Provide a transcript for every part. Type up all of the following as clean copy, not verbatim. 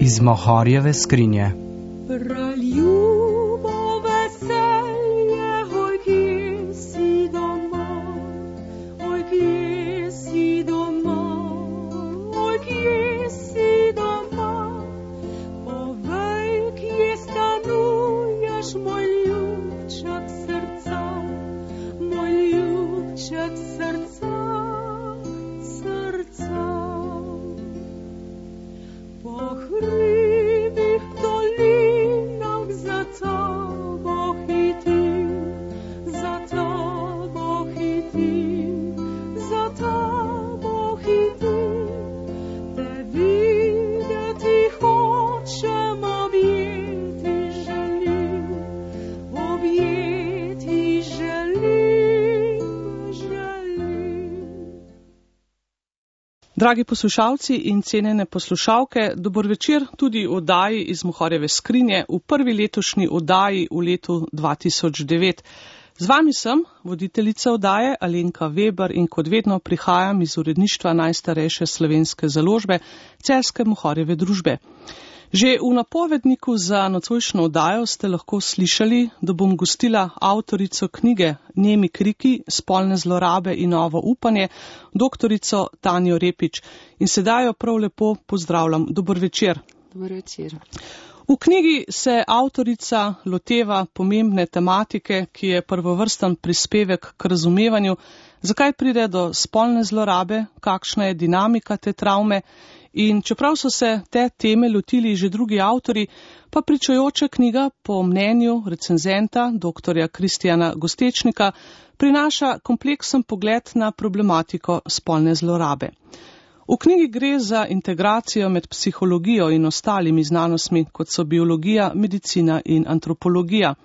iz Mohorjeve skrinje. Dragi poslušalci in cenjene poslušalke, dober večer tudi v oddaji iz Mohorjeve skrinje, v prvi letošnji oddaji v letu 2009. Z vami sem, voditeljica oddaje Alenka Weber in kot vedno prihajam iz uredništva najstarejše slovenske založbe, Celjske Mohorjeve družbe. Že v napovedniku za nocojšnjo oddajo ste lahko slišali, da bom gostila avtorico knjige Nemi kriki, spolne zlorabe in novo upanje, doktorico Tanjo Repič. In sedaj jo prav lepo pozdravljam. Dober večer. Dober večer. V knjigi se avtorica loteva pomembne tematike, ki je prvovrsten prispevek k razumevanju, zakaj pride do spolne zlorabe, kakšna je dinamika te travme. In čeprav so se te teme lotili že drugi avtori, pa pričujoča knjiga po mnenju recenzenta dr. Kristjana Gostečnika prinaša kompleksen pogled na problematiko spolne zlorabe. V knjigi gre za integracijo med psihologijo in ostalimi znanostmi, kot so biologija, medicina in antropologija.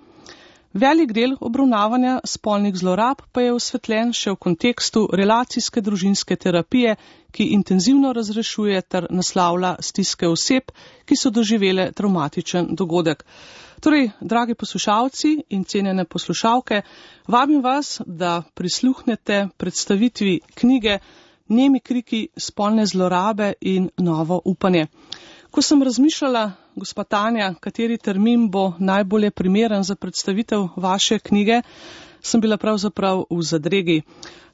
Velik del obravnavanja spolnih zlorab pa je osvetljen še v kontekstu relacijske družinske terapije, ki intenzivno razrešuje ter naslavlja stiske oseb, ki so doživele travmatičen dogodek. Torej, dragi poslušalci in cenjene poslušalke, vabim vas, da prisluhnete predstavitvi knjige Nemi kriki, spolne zlorabe in novo upanje. Ko sem razmišljala, gospa Tanja, kateri termin bo najbolje primeren za predstavitev vaše knjige, sem bila pravzaprav v zadregi.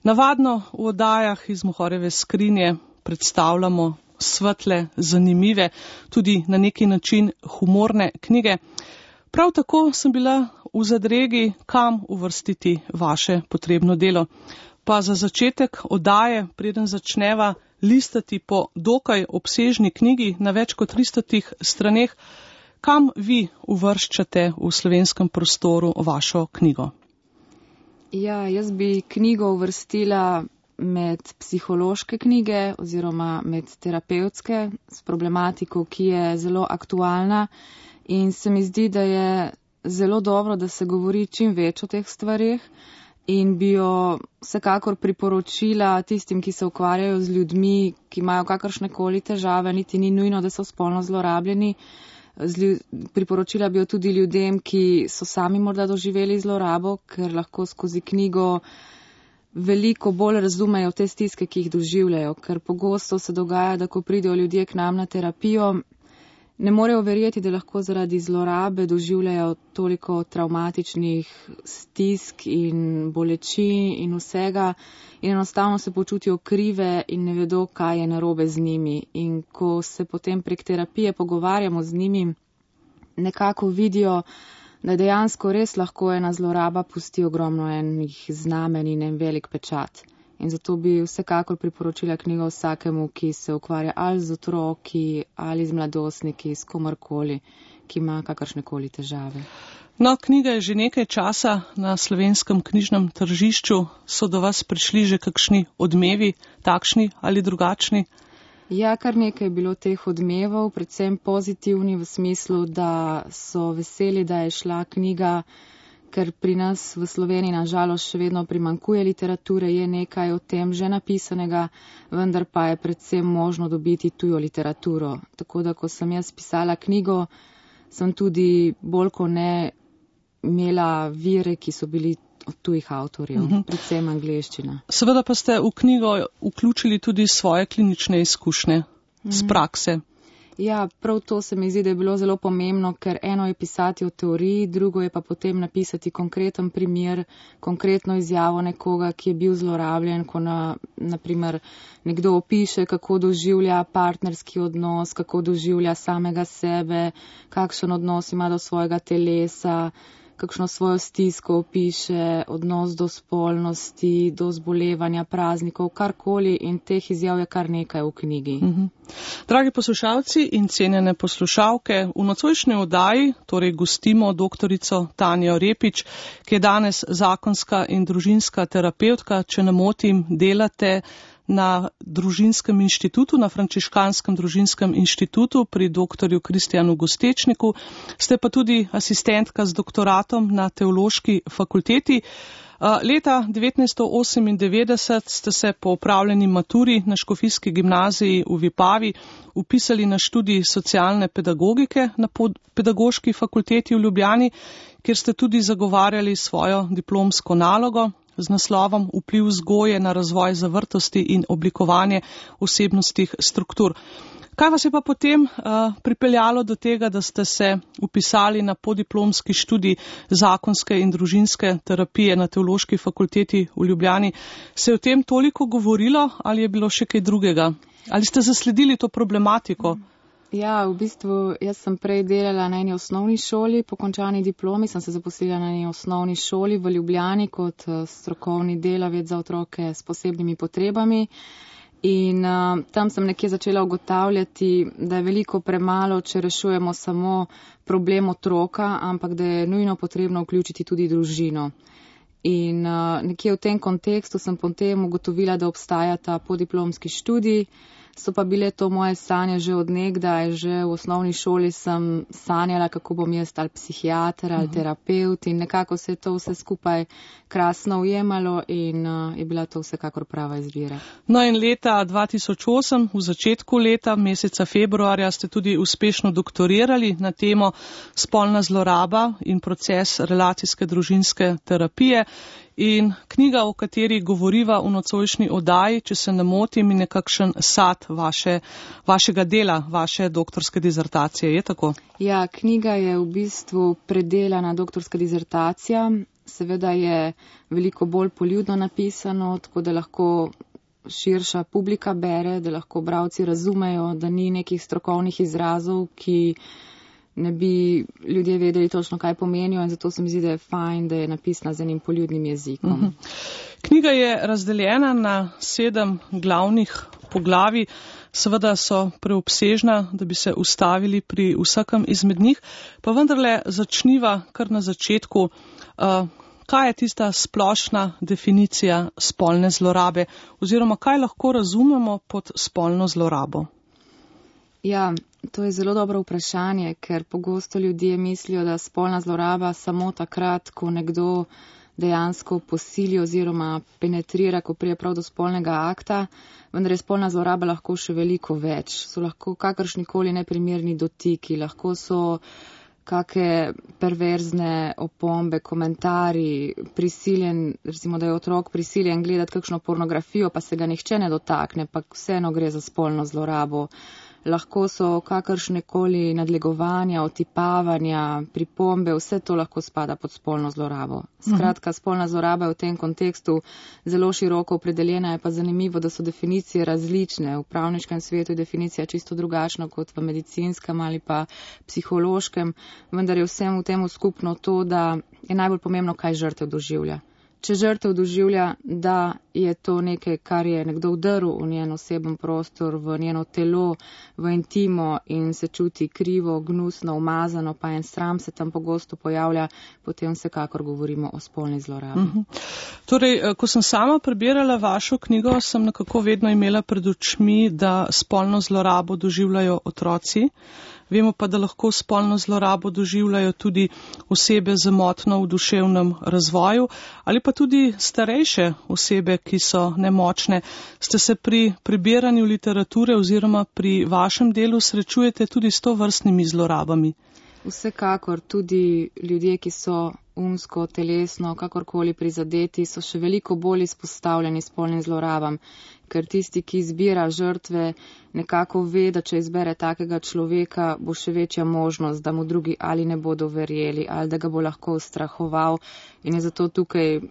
Navadno v oddajah iz Mohorjeve skrinje predstavljamo svetle, zanimive, tudi na neki način humorne knjige. Prav tako sem bila v zadregi, kam uvrstiti vaše potrebno delo. Pa za začetek oddaje, preden začneva listati po dokaj obsežni knjigi na več kot 300 straneh, kam vi uvrščate v slovenskem prostoru vašo knjigo? Ja, jaz bi knjigo uvrstila med psihološke knjige oziroma med terapevtske s problematiko, ki je zelo aktualna in se mi zdi, da je zelo dobro, da se govori čim več o teh stvarih. In bi jo vsekakor priporočila tistim, ki se ukvarjajo z ljudmi, ki imajo kakršnekoli težave, niti ni nujno, da so spolno zlorabljeni. Priporočila bi jo tudi ljudem, ki so sami morda doživeli zlorabo, ker lahko skozi knjigo veliko bolj razumejo te stiske, ki jih doživljajo. Ker pogosto se dogaja, da ko pridejo ljudje k nam na terapijo, ne morejo verjeti, da lahko zaradi zlorabe doživljajo toliko travmatičnih stisk in bolečin in vsega in enostavno se počutijo krive in ne vedo, kaj je narobe z njimi. In ko se potem prek terapije pogovarjamo z njimi, nekako vidijo, da dejansko res lahko ena zloraba pusti ogromno enih znamen in en velik pečat. In zato bi vsekakor priporočila knjigo vsakemu, ki se ukvarja ali z otroki, ali z mladostniki, s komorkoli, ki ima kakršnekoli težave. No, knjiga je že nekaj časa na slovenskem knjižnem tržišču. So do vas prišli že kakšni odmevi, takšni ali drugačni? Ja, kar nekaj je bilo teh odmevov, predvsem pozitivni v smislu, da so veseli, da je šla knjiga, ker pri nas v Sloveniji nažalost še vedno primanjkuje literature, je nekaj o tem že napisanega, vendar pa je predvsem možno dobiti tujo literaturo. Tako da, ko sem jaz pisala knjigo, sem tudi bolj kot ne imela vire, ki so bili od tujih avtorjev, predvsem angleščina. Seveda pa ste v knjigo vključili tudi svoje klinične izkušnje z prakse. Ja, prav to se mi zdi, da je bilo zelo pomembno, ker eno je pisati o teoriji, drugo je pa potem napisati konkreten primer, konkretno izjavo nekoga, ki je bil zlorabljen, ko naprimer nekdo opiše, kako doživlja partnerski odnos, kako doživlja samega sebe, kakšen odnos ima do svojega telesa, kakšno svojo stisko opiše, odnos do spolnosti, do zbolevanja, praznikov, karkoli, in teh izjav je kar nekaj v knjigi. Dragi poslušalci in cenjene poslušalke, v nocojšnji oddaji torej gostimo doktorico Tanjo Repič, ki je danes zakonska in družinska terapevtka. Če ne motim, delate na družinskem inštitutu, na Frančiškanskem družinskem inštitutu pri doktorju Kristjanu Gostečniku. Ste pa tudi asistentka z doktoratom na Teološki fakulteti. Leta 1998 ste se po opravljeni maturi na Škofijski gimnaziji v Vipavi upisali na študij socialne pedagogike na Pedagoški fakulteti v Ljubljani, kjer ste tudi zagovarjali svojo diplomsko nalogo z naslovom Vpliv vzgoje na razvoj zavrtosti in oblikovanje osebnostnih struktur. Kaj vas je pa potem pripeljalo do tega, da ste se upisali na podiplomski študij zakonske in družinske terapije na Teološki fakulteti v Ljubljani? Se je o tem toliko govorilo ali je bilo še kaj drugega? Ali ste zasledili to problematiko? Ja, v bistvu jaz sem prej delala na eni osnovni šoli, po končani diplomi sem se zaposlila na eni osnovni šoli v Ljubljani kot strokovni delavec za otroke s posebnimi potrebami. In tam sem nekje začela ugotavljati, da je veliko premalo, če rešujemo samo problem otroka, ampak da je nujno potrebno vključiti tudi družino. In nekje v tem kontekstu sem potem ugotovila, da obstaja ta podiplomski študij. So pa bile to moje sanje že od nekdaj, že v osnovni šoli sem sanjala, kako bom jaz ali psihiater ali terapeut, in nekako se je to vse skupaj krasno ujemalo in je bila to vsekakor prava izbira. No in leta 2008, v začetku leta, meseca februarja, ste tudi uspešno doktorirali na temo spolna zloraba in proces relacijske družinske terapije. In knjiga, o kateri govoriva v nocojšnji oddaji, če se ne motim, je nekakšen sad vašega dela, vaše doktorske dizertacije, je tako? Ja, knjiga je v bistvu predelana doktorska dizertacija. Seveda je veliko bolj poljudno napisano, tako da lahko širša publika bere, da lahko bralci razumejo, da ni nekih strokovnih izrazov, ki ne bi ljudje vedeli točno, kaj pomenijo, in zato se mi zdi, da je fajn, da je napisana z enim poljudnim jezikom. Knjiga je razdeljena na 7 glavnih poglavij. Seveda so preobsežna, da bi se ustavili pri vsakem izmed njih, pa vendarle začniva kar na začetku. Kaj je tista splošna definicija spolne zlorabe oziroma kaj lahko razumemo pod spolno zlorabo? Ja, to je zelo dobro vprašanje, ker pogosto ljudje mislijo, da spolna zloraba samo takrat, ko nekdo dejansko posili oziroma penetrira, ko prije prav do spolnega akta, vendar je spolna zloraba lahko še veliko več. So lahko kakršnikoli neprimerni dotiki, lahko so kake perverzne opombe, komentarji, prisiljen, recimo, da je otrok prisiljen gledati kakšno pornografijo, pa se ga nihče ne dotakne, pa vseeno gre za spolno zlorabo. Lahko so kakršnekoli nadlegovanja, otipavanja, pripombe, vse to lahko spada pod spolno zlorabo. Skratka, spolna zloraba je v tem kontekstu zelo široko opredeljena, je pa zanimivo, da so definicije različne. V pravniškem svetu je definicija čisto drugačna kot v medicinskem ali pa psihološkem, vendar je vsem v temu skupno to, da je najbolj pomembno, kaj žrtev doživlja. Če žrtev doživlja, da je to nekaj, kar je nekdo vdrl v njen oseben prostor, v njeno telo, v intimo in se čuti krivo, gnusno, umazano, pa en sram se tam pogosto pojavlja, potem vsekakor govorimo o spolni zlorabi. Torej, ko sem sama prebirala vašo knjigo, sem nekako vedno imela pred očmi, da spolno zlorabo doživljajo otroci. Vemo pa, da lahko spolno zlorabo doživljajo tudi osebe z motnjo v duševnem razvoju ali pa tudi starejše osebe, ki so nemočne. Ste se pri prebiranju literature oziroma pri vašem delu srečujete tudi s tovrstnimi zlorabami? Vsekakor tudi ljudje, ki so umsko, telesno, kakorkoli prizadeti, so še veliko bolj izpostavljeni spolnim zlorabam, ker tisti, ki izbira žrtve, nekako ve, da če izbere takega človeka, bo še večja možnost, da mu drugi ali ne bodo verjeli, ali da ga bo lahko ustrahoval in je zato tukaj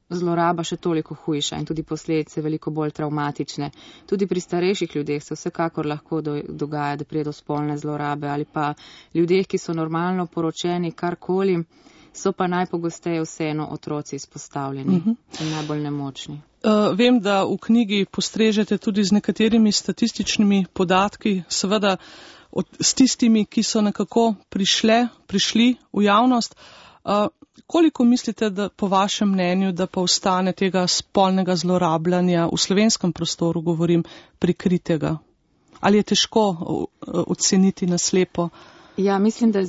zloraba še toliko hujša in tudi posledice veliko bolj travmatične. Tudi pri starejših ljudeh se vsekakor lahko dogaja, da pride do spolne zlorabe ali pa ljudeh, ki so normalno poročeni, karkoli, so pa najpogosteje vseeno otroci izpostavljeni in najbolj nemočni. Vem, da v knjigi postrežete tudi z nekaterimi statističnimi podatki, seveda s tistimi, ki so nekako prišli v javnost. Koliko mislite, da po vašem mnenju, da pa ostane tega spolnega zlorabljanja v slovenskem prostoru, govorim, prikritega? Ali je težko oceniti na slepo? Ja, mislim, da je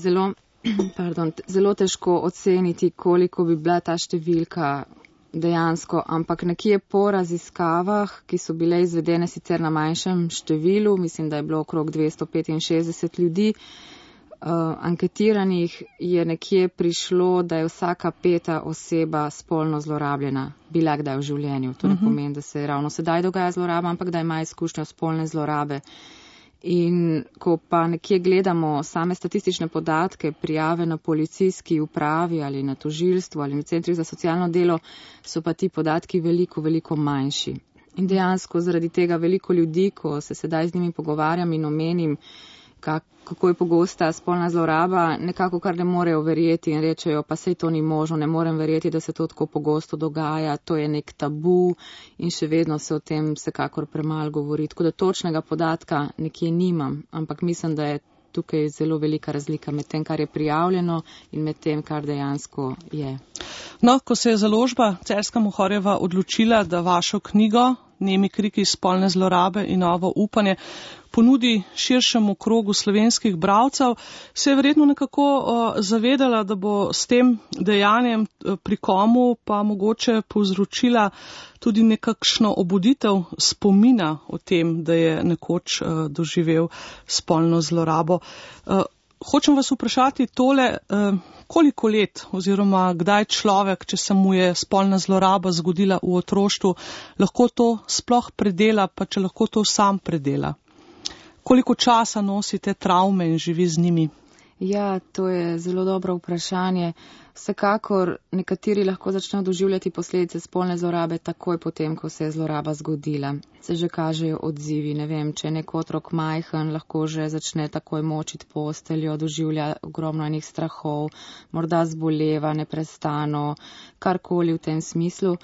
zelo težko oceniti, koliko bi bila ta številka dejansko, ampak nekje po raziskavah, ki so bile izvedene sicer na manjšem številu, mislim, da je bilo okrog 265 ljudi, anketiranih je nekje prišlo, da je vsaka 5. oseba spolno zlorabljena, bila kdaj v življenju. To ne pomeni, da se ravno sedaj dogaja zloraba, ampak da ima izkušnjo spolne zlorabe. In ko pa nekje gledamo same statistične podatke, prijave na policijski upravi ali na tožilstvu ali na centrih za socialno delo, so pa ti podatki veliko, veliko manjši. In dejansko zaradi tega veliko ljudi, ko se sedaj z njimi pogovarjam in omenim, kako je pogosta spolna zloraba, nekako kar ne morejo verjeti in rečejo, pa sej to ni možno, ne morem verjeti, da se to tako pogosto dogaja, to je nek tabu in še vedno se o tem vsekakor premalo govori. Tako da točnega podatka nekje nimam, ampak mislim, da je tukaj zelo velika razlika med tem, kar je prijavljeno in med tem, kar dejansko je. No, ko se je založba Celjska Mohorjeva odločila, da vašo knjigo Nemi kriki spolne zlorabe in novo upanje ponudi širšemu krogu slovenskih bralcev, se je verjetno nekako zavedala, da bo s tem dejanjem pri komu pa mogoče povzročila tudi nekakšno obuditev spomina o tem, da je nekoč doživel spolno zlorabo. Hočem vas vprašati tole, koliko let oziroma kdaj človek, če se mu je spolna zloraba zgodila v otroštvu, lahko to sploh predela, pa če lahko to sam predela? Koliko časa nosite travme in živi z njimi? Ja, to je zelo dobro vprašanje. Vsekakor nekateri lahko začnejo doživljati posledice spolne zlorabe takoj potem, ko se je zloraba zgodila. Se že kažejo odzivi, ne vem, če je nek otrok majhen, lahko že začne takoj močiti posteljo, doživlja ogromno enih strahov, morda zboleva neprestano, karkoli v tem smislu.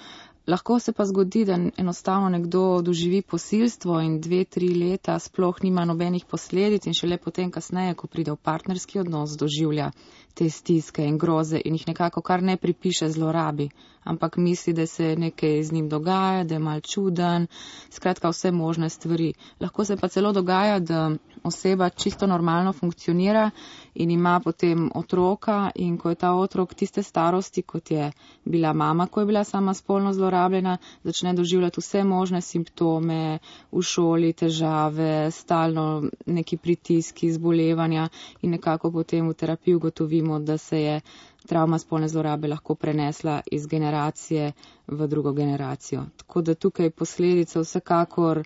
Lahko se pa zgodi, da enostavno nekdo doživi posilstvo in 2-3 leta sploh nima nobenih posledic in šele potem kasneje, ko pride v partnerski odnos, doživlja te stiske in groze in jih nekako kar ne pripiše zlorabi, ampak misli, da se nekaj z njim dogaja, da je mal čuden, skratka vse možne stvari. Lahko se pa celo dogaja, da oseba čisto normalno funkcionira in ima potem otroka in ko je ta otrok tiste starosti, kot je bila mama, ko je bila sama spolno zlorabljena, začne doživljati vse možne simptome v šoli, težave, stalno neki pritiski, zbolevanja in nekako potem v terapiji ugotovimo, da se je travma spolne zlorabe lahko prenesla iz generacije v drugo generacijo. Tako da tukaj posledice vsekakor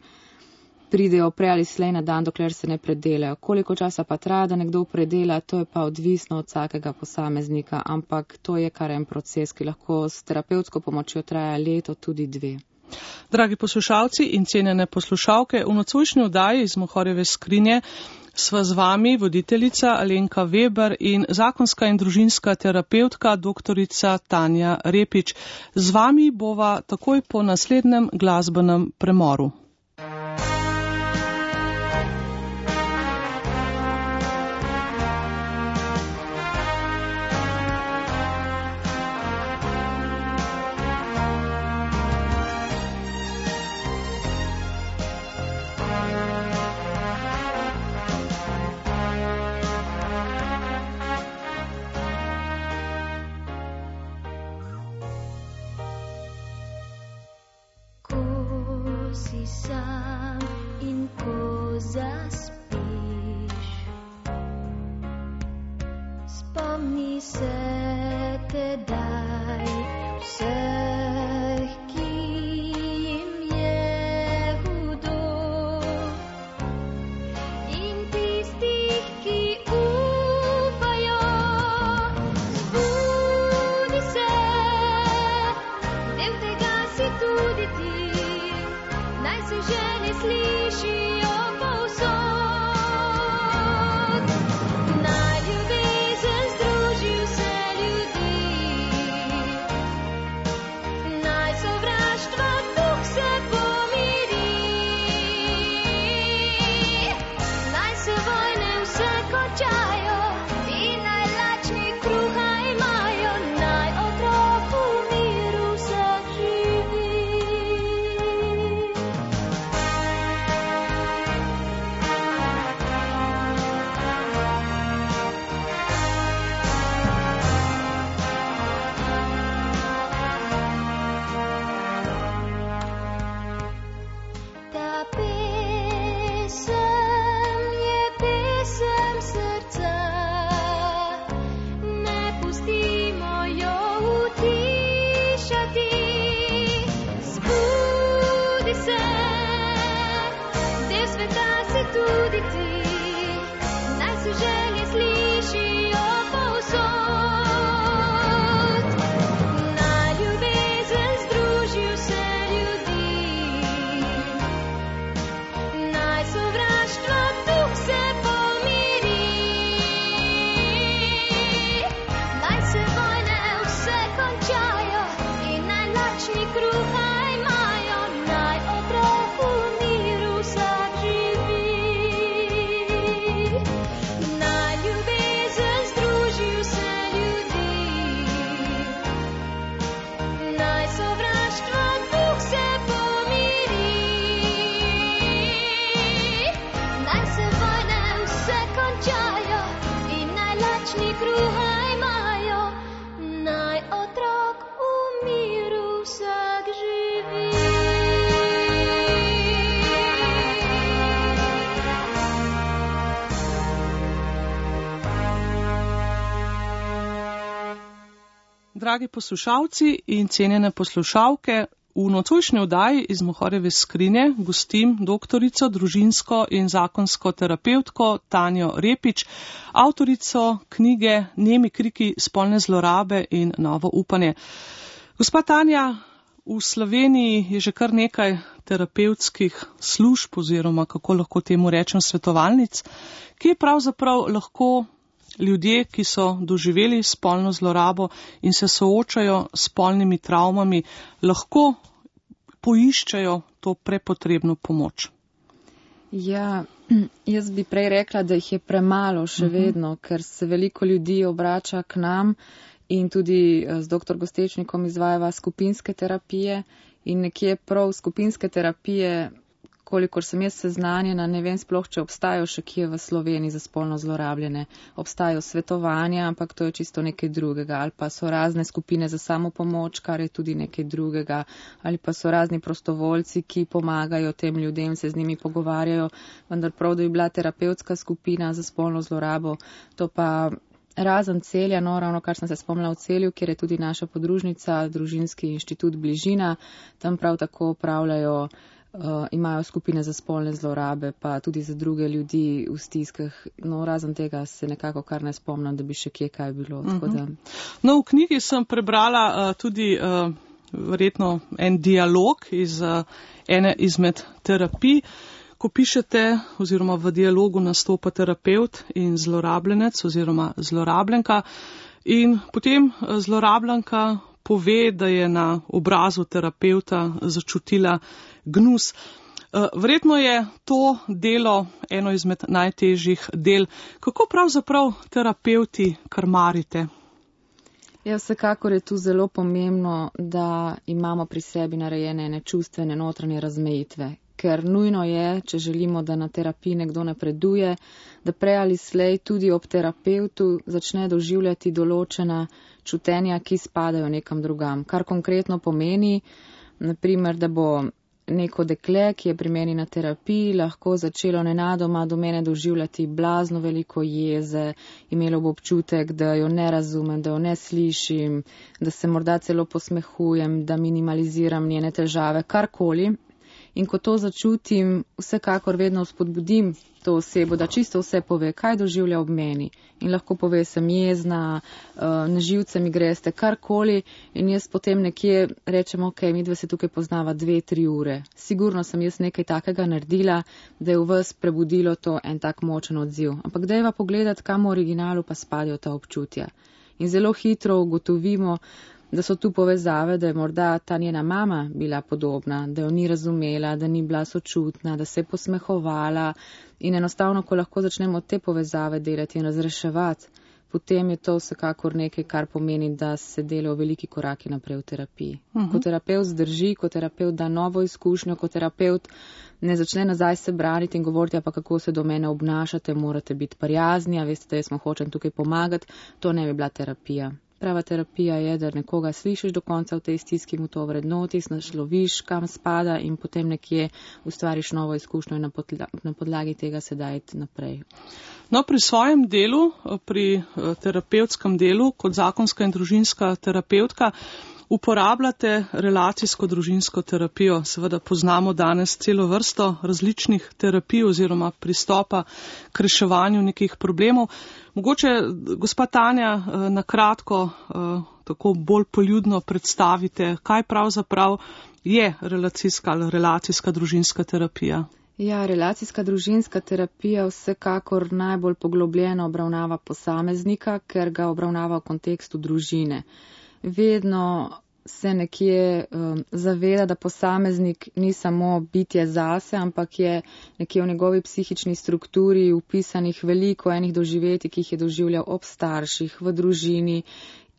pridejo prej ali slej na dan, dokler se ne predelajo. Koliko časa pa traja, da nekdo predela, to je pa odvisno od vsakega posameznika, ampak to je kar en proces, ki lahko s terapevtsko pomočjo traja leto, tudi 2. Dragi poslušalci in cenjene poslušalke, v nocojšnji oddaji iz Mohorjeve skrinje sva z vami voditeljica Alenka Weber in zakonska in družinska terapevtka doktorica Tanja Repič. Z vami bova takoj po naslednjem glasbenem premoru. pustimo jo utišati. Zbudi se, del sveta si tudi ti, naj se želje slišijo povsod. Naj ljubezen združi vse ljudi, naj sovraštva duh se pomiri, naj se vojne vse končajo in naj lačni kruha imajo, naj otrok v miru vsak živi. Naj ljubezen združi vse ljudi, naj sovraštva duh se pomiri, naj se vojne vse končajo in naj lačni kruha imajo, naj otrok v miru vsak živi. Dragi poslušalci in cenjene poslušalke, v nocojšnji oddaji iz Mohorjeve skrinje gostim doktorico, družinsko in zakonsko terapevtko Tanjo Repič, avtorico knjige Nemi kriki spolne zlorabe in novo upanje. Gospa Tanja, v Sloveniji je že kar nekaj terapevtskih služb oziroma, kako lahko temu rečem, svetovalnic, ki pravzaprav lahko ljudje, ki so doživeli spolno zlorabo in se soočajo s spolnimi travmami, lahko poiščejo to prepotrebno pomoč. Ja, jaz bi prej rekla, da jih je premalo še vedno, ker se veliko ljudi obrača k nam in tudi z dr. Gostečnikom izvajava skupinske terapije in nekje prav skupinske terapije, kolikor sem jaz seznanjena, ne vem sploh, če obstajajo še kje v Sloveniji za spolno zlorabljene. Obstajajo svetovanja, ampak to je čisto nekaj drugega. Ali pa so razne skupine za samopomoč, kar je tudi nekaj drugega. Ali pa so razni prostovoljci, ki pomagajo tem ljudem, se z njimi pogovarjajo. Vendar prav, da bi bila terapevtska skupina za spolno zlorabo, to pa razen Celja, no ravno kar sem se spomnila v Celju, kjer je tudi naša podružnica, Družinski inštitut Bližina, tam prav tako upravljajo, imajo skupine za spolne zlorabe, pa tudi za druge ljudi v stiskah. No, razen tega se nekako kar ne spomnim, da bi še kje kaj bilo. Tako da... No, v knjigi sem prebrala tudi verjetno en dialog iz ene izmed terapij, ko pišete oziroma v dialogu nastopa terapevt in zlorabljenec oziroma zlorabljenka in potem zlorabljenka pove, da je na obrazu terapevta začutila gnus. Verjetno je to delo eno izmed najtežjih del. Kako pravzaprav terapevti krmarite? Ja, vsekakor je tu zelo pomembno, da imamo pri sebi narejene ene čustvene notranje razmejitve. Ker nujno je, če želimo, da na terapiji nekdo napreduje, da prej ali slej tudi ob terapevtu začne doživljati določena čutenja, ki spadajo nekam drugam. Kar konkretno pomeni, naprimer, da bo neko dekle, ki je pri meni na terapiji, lahko začelo nenadoma do mene doživljati blazno veliko jeze, imelo bo občutek, da jo ne razumem, da jo ne slišim, da se morda celo posmehujem, da minimaliziram njene težave, karkoli. In ko to začutim, vsekakor vedno spodbudim to osebo, da čisto vse pove, kaj doživlja ob meni. In lahko pove, sem jezna, na živce mi greste, karkoli. In jaz potem nekje rečem, ok, midve se tukaj poznava 2-3 ure. Sigurno sem jaz nekaj takega naredila, da je v vas prebudilo to en tak močen odziv. Ampak dajva pogledati, kam v originalu pa spadajo ta občutja. In zelo hitro ugotovimo, da so tu povezave, da je morda ta njena mama bila podobna, da jo ni razumela, da ni bila sočutna, da se je posmehovala in enostavno, ko lahko začnemo te povezave delati in razreševati, potem je to vsekakor nekaj, kar pomeni, da se delajo veliki koraki naprej v terapiji. Ko terapevt zdrži, ko terapevt da novo izkušnjo, ko terapevt ne začne nazaj se braniti in govoriti, pa kako se do mene obnašate, morate biti prijazni, a veste, da jaz vam hočem tukaj pomagati, to ne bi bila terapija. Prava terapija je, da nekoga slišiš do konca v tej stiski, mu to vrednotiš, nasloviš, kam spada in potem nekje ustvariš novo izkušnjo in na podlagi tega se dajte naprej. No, pri svojem delu, pri terapevtskem delu, kot zakonska in družinska terapevtka, uporabljate relacijsko družinsko terapijo. Seveda poznamo danes celo vrsto različnih terapij oziroma pristopa k reševanju nekih problemov. Mogoče, gospa Tanja, na kratko, tako bolj poljudno predstavite, kaj pravzaprav je relacijska družinska terapija. Ja, relacijska družinska terapija vsekakor najbolj poglobljeno obravnava posameznika, ker ga obravnava v kontekstu družine. Vedno se nekje zaveda, da posameznik ni samo bitje zase, ampak je nekje v njegovi psihični strukturi upisanih veliko enih doživetij, ki jih je doživljal ob starših, v družini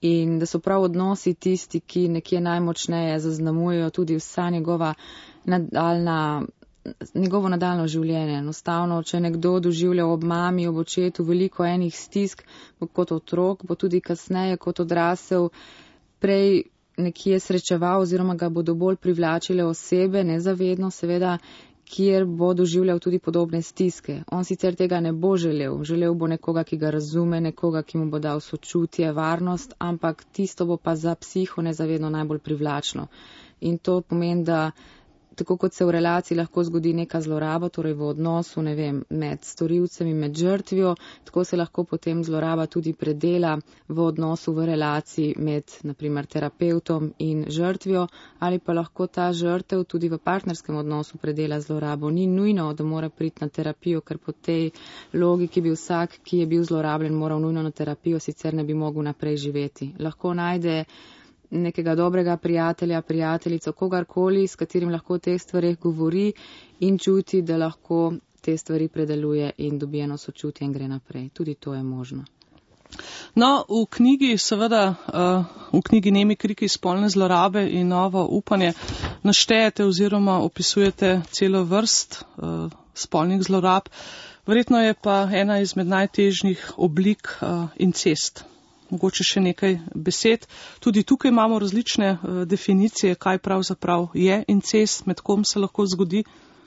in da so prav odnosi tisti, ki nekje najmočneje zaznamujejo tudi vsa njegovo nadaljno življenje. Enostavno, če nekdo doživlja ob mami, ob očetu veliko enih stisk kot otrok, bo tudi kasneje kot odrasel prej nekje srečeval oziroma ga bodo bolj privlačile osebe, nezavedno seveda, kjer bo doživljal tudi podobne stiske. On sicer tega ne bo želel. Želel bo nekoga, ki ga razume, nekoga, ki mu bo dal sočutje, varnost, ampak tisto bo pa za psiho nezavedno najbolj privlačno. In to pomeni, da tako kot se v relaciji lahko zgodi neka zloraba, torej v odnosu, med storilcem in med žrtvijo, tako se lahko potem zloraba tudi predela v odnosu v relaciji med, naprimer, terapevtom in žrtvijo, ali pa lahko ta žrtev tudi v partnerskem odnosu predela zlorabo. Ni nujno, da mora priti na terapijo, ker po tej logiki bi vsak, ki je bil zlorabljen, moral nujno na terapijo, sicer ne bi mogel naprej živeti. Lahko najde nekega dobrega prijatelja, prijateljico, kogarkoli, s katerim lahko o teh stvarih govori in čuti, da lahko te stvari predeluje in dobi eno sočutje in gre naprej. Tudi to je možno. No, v knjigi, seveda, v knjigi Nemi kriki spolne zlorabe in novo upanje naštejete oziroma opisujete celo vrst spolnih zlorab. Verjetno je pa ena izmed najtežjih oblik incest. Mogoče še nekaj besed. Tudi tukaj imamo različne definicije, kaj pravzaprav je incest, med kom se lahko zgodi.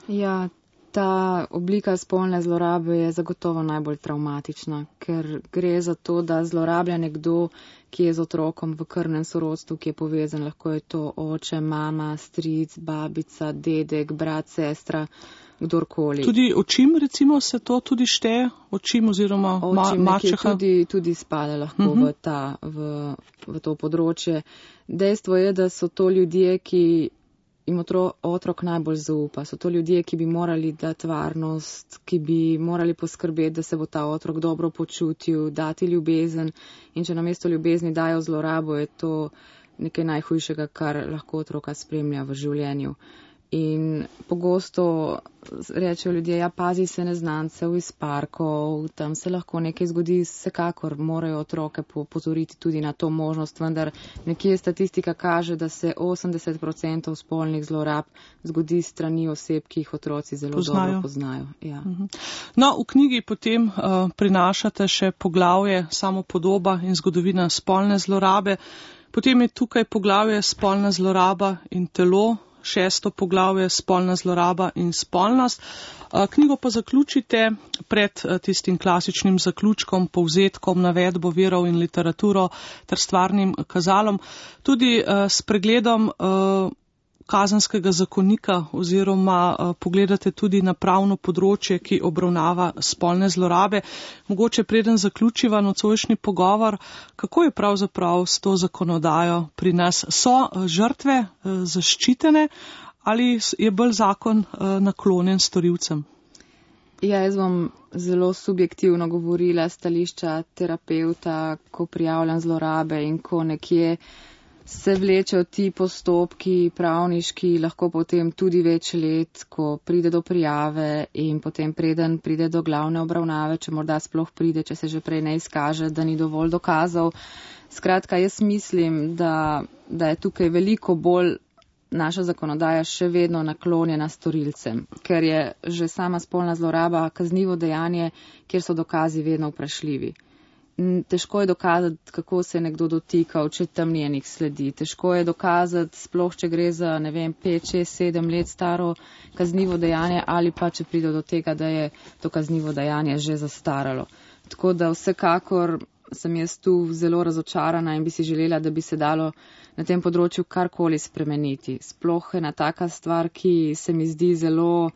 Ja, ta oblika spolne zlorabe je zagotovo najbolj travmatična, ker gre za to, da zlorablja nekdo, ki je z otrokom v krvnem sorodstvu, ki je povezan, lahko je to oče, mama, stric, babica, dedek, brat, sestra, kdorkoli. Tudi očim, recimo, se to tudi šteje? Očim oziroma mačeha? Tudi spada lahko v to področje. Dejstvo je, da so to ljudje, ki jim otrok najbolj zaupa. So to ljudje, ki bi morali dati varnost, ki bi morali poskrbeti, da se bo ta otrok dobro počutil, dati ljubezen. In če namesto ljubezni dajo zlorabo, je to nekaj najhujšega, kar lahko otroka spremlja v življenju. In pogosto rečejo ljudje, ja, pazi se neznancev iz parkov, tam se lahko nekaj zgodi, vsekakor morajo otroke pozoriti tudi na to možnost, vendar nekje statistika kaže, da se 80% spolnih zlorab zgodi strani oseb, ki jih otroci zelo dobro poznajo. Ja. No, v knjigi potem prinašate še poglavje samopodoba in zgodovina spolne zlorabe. Potem je tukaj poglavje spolna zloraba in telo. 6. poglavje spolna zloraba in spolnost. Knjigo pa zaključite pred tistim klasičnim zaključkom, povzetkom, navedbo virov in literaturo ter stvarnim kazalom, tudi s pregledom kazenskega zakonika oziroma pogledate tudi na pravno področje, ki obravnava spolne zlorabe. Mogoče preden zaključiva nocojšnji pogovor, kako je pravzaprav s to zakonodajo pri nas? So žrtve zaščitene ali je bolj zakon naklonjen storilcem? Ja, jaz bom zelo subjektivno govorila stališča terapeuta, ko prijavljam zlorabe in ko nekje se vlečejo ti postopki pravniški, lahko potem tudi več let, ko pride do prijave in potem preden pride do glavne obravnave, če morda sploh pride, če se že prej ne izkaže, da ni dovolj dokazov. Skratka, jaz mislim, da je tukaj veliko bolj naša zakonodaja še vedno naklonjena storilcem, ker je že sama spolna zloraba kaznivo dejanje, kjer so dokazi vedno vprašljivi. Težko je dokazati, kako se je nekdo dotikal, če tam ni enih sledi. Težko je dokazati, sploh če gre za, 5, 6, 7 let staro kaznivo dejanje ali pa če pride do tega, da je to kaznivo dejanje že zastaralo. Tako da vsekakor sem jaz tu zelo razočarana in bi si želela, da bi se dalo na tem področju karkoli spremeniti. Sploh ena taka stvar, ki se mi zdi zelo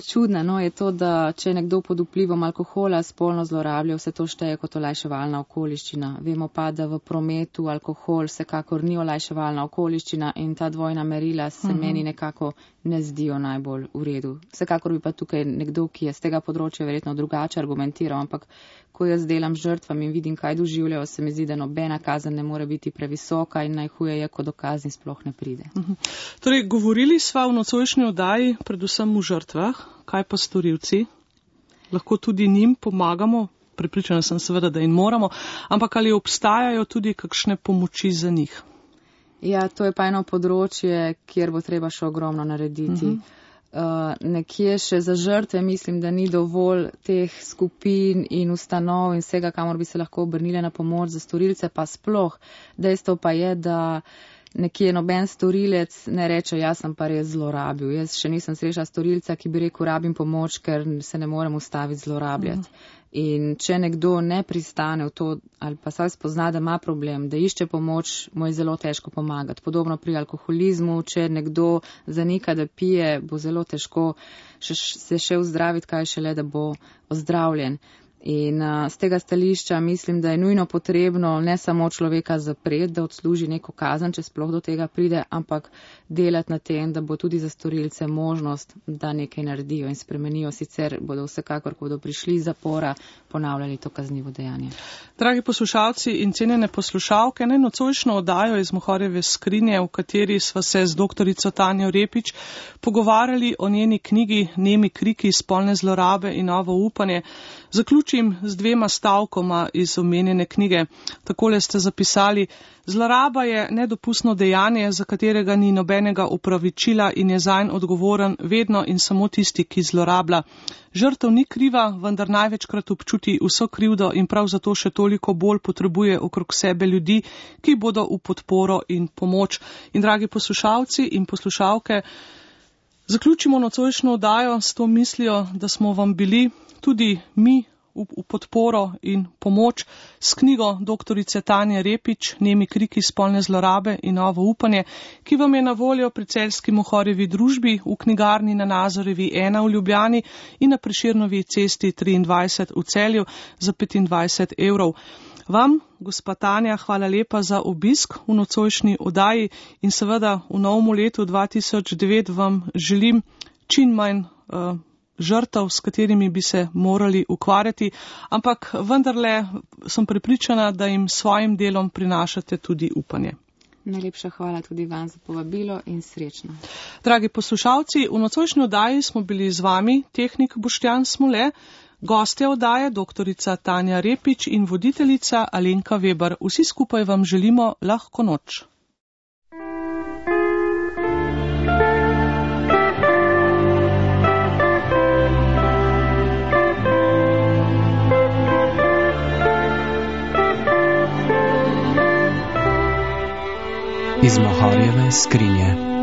čudna, je to, da če nekdo pod vplivom alkohola spolno zlorablja, vse to šteje kot olajševalna okoliščina. Vemo pa, da v prometu alkohol vsekakor ni olajševalna okoliščina in ta dvojna merila se meni nekako ne zdijo najbolj v redu. Vsekakor bi pa tukaj nekdo, ki je z tega področja verjetno drugače argumentiral, ampak ko jaz delam z žrtvami in vidim, kaj doživljajo, se mi zdi, da nobena kazen ne more biti previsoka in najhuje je, ko do kazni sploh ne pride. Torej, govorili sva v nocojšnji oddaji predvsem v žrtvah, kaj pa storilci? Lahko tudi njim pomagamo, prepričana sem seveda, da jim moramo, ampak ali obstajajo tudi kakšne pomoči za njih? Ja, to je pa eno področje, kjer bo treba še ogromno narediti. Nekje še za žrtve mislim, da ni dovolj teh skupin in ustanov in vsega, kamor bi se lahko obrnile na pomoč, za storilce pa sploh. Dejstvo pa je, da nekje noben storilec ne reče, jaz sem pa res zlorabil. Jaz še nisem srečala storilca, ki bi rekel, rabim pomoč, ker se ne morem ustaviti zlorabljati. In če nekdo ne pristane v to ali pa saj spozna, da ima problem, da išče pomoč, mu je zelo težko pomagati. Podobno pri alkoholizmu, če nekdo zanika, da pije, bo zelo težko se še ozdraviti, kaj šele, da bo ozdravljen. In z tega stališča mislim, da je nujno potrebno ne samo človeka zapreti, da odsluži neko kazen, če sploh do tega pride, ampak delati na tem, da bo tudi za storilce možnost, da nekaj naredijo in spremenijo, sicer bodo vsekakor, ko bodo prišli iz zapora, ponavljali to kaznivo dejanje. Dragi poslušalci in cenjene poslušalke, nocojšnjo oddajo iz Mohorjeve skrinje, v kateri sva se z doktorico Tanjo Repič pogovarjali o njeni knjigi Nemi kriki, spolne zlorabe in novo upanje, zaključim z 2 stavkoma iz omenjene knjige. Takole ste zapisali: zloraba je nedopustno dejanje, za katerega ni nobenega upravičila in je zanj odgovoren vedno in samo tisti, ki zlorablja. Žrtev ni kriva, vendar največkrat občuti vso krivdo in prav zato še toliko bolj potrebuje okrog sebe ljudi, ki bodo v podporo in pomoč. In dragi poslušalci in poslušalke, zaključimo nocojšnjo oddajo s to mislijo, da smo vam bili tudi mi v podporo in pomoč s knjigo doktorice Tanje Repič Nemi kriki, spolne zlorabe in novo upanje, ki vam je na voljo pri celjski Mohorjevi družbi, v knjigarni na Nazorevi 1 v Ljubljani in na Prešernovi cesti 23 v Celju za 25 €. Vam, gospa Tanja, hvala lepa za obisk v nocojšnji oddaji in seveda v novem letu 2009 vam želim čim manj žrtev, s katerimi bi se morali ukvarjati, ampak vendarle sem prepričana, da jim svojim delom prinašate tudi upanje. Najlepša hvala tudi vam za povabilo in srečno. Dragi poslušalci, v nocojšnji oddaji smo bili z vami tehnik Boštjan Smole, gostja oddaje doktorica Tanja Repič in voditeljica Alenka Weber. Vsi skupaj vam želimo lahko noč. Iz Mohorjeve skrinje.